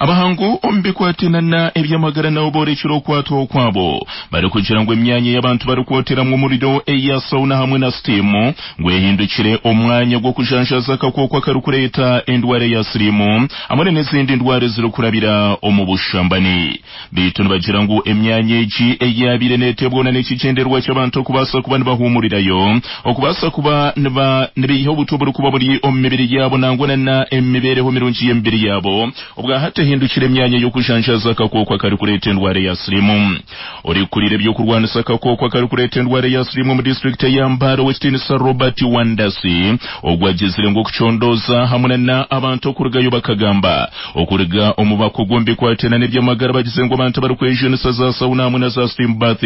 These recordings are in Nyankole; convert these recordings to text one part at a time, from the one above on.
Abahangu omu bikwatana eby'amagara nabo boorekire okwatwaho kwabo barikugira ngu emyanya y'abantu barikwoteramu omuriro eya sauna hamwe na steam ngu ehindukire omwanya gw'okujanjaaza akakooko akarikureeta endwara eya siriimu hamwe n'ezindi ndwara ezirikurabira omu bushambani. Beitu nibagira ngu emyanya egi eyaabaire neeteebwaho n'ekigyendererwa ky'abantu okubaasa kuba nibahuumurirayo, okubaasa kuba nibaiha obutwa oburikuba buri omu mibiri yaabo nangwa na emibeereho mirungi y'emibiri yaabo, obwahati ehindukire emyanya y'okujanjaaza akakooko akarikureeta endwara eya siriimu. Orikukurira eby'okurwanisa akakooko akarikureeta endwara eya siriimu omu disiturikiti eya Mbale Owekitiinisa Robert Wandasi ogwo agizire ngu okucondooza hamwe na abantu okurugayo bakagamba okuruga omu bakugu omu bikwatiraine n'eby'amagara bagize ngu abantu abarikwejunisa za sauna hamwe na za steam bath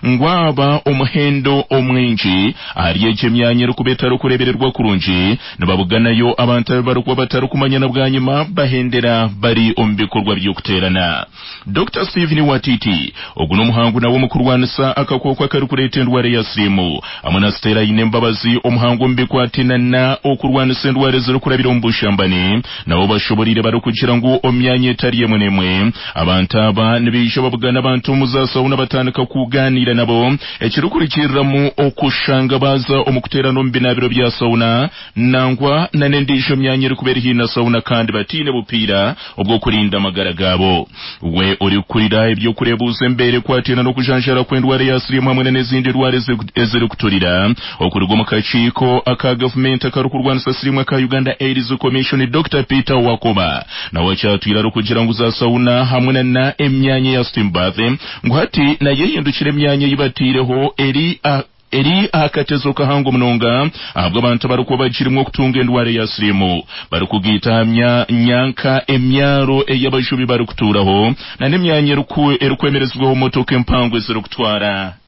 ngu aba omuhendo omwingi ahari egyo emyanya erikuba etarikureebererwa kurungi Nibabuganayo abantu abu barikuba batarikumanya na bwanyima bahendera bari omu bikorwa by'okuteerana. Dokita Stephen Watiti, ogu n'omuhangu nawe omu kurwanisa akakooko akarikureeta endwara ya siriimu hamwe na Stella Ainembabazi omuhangu omu bikwatinana okurwanisa endwara ezirikurabira omu bushambani nabo bashoboreire barikugira ngu omu myanya etari emwe n'emwe abantu aba nibaija babugana abantu omu za sauna batandika kugaaniira nabo Ekirikurugiriramu okushanga baaza omu kuteerana omu binaabiro bya sauna nangwa na n'endiijo myanya erikuba eri haihi na sauna kandi bataine bupiira obw'okurinda amagara gaabo. We orikukurira eby'okureebuuza embeera ekwataine n'okujanjaara kw'endwara ya siriimu hamwe na n'ezindi ndwara ezirikuturira okuruga omu kakiiko aka gavumenti akarikurwanisa siriimu aka Uganda AIDS Commission, Dokita Peter Wakoba nawe akyatwire arikugira ngu za sauna hamwe na n'emyanya eya steam bath Ngu hati nayo ehindukire emyanya ei bataireho eri eri aha katezo kahango munonga ahabw'abantu abarikuba bagirimu okutunga endwara eya siriimu barikugaita aha myanka emyaro ei abajubi barikutuuraho na n'emyanya erikwemerezibwaho motoka empango ezirikutwara.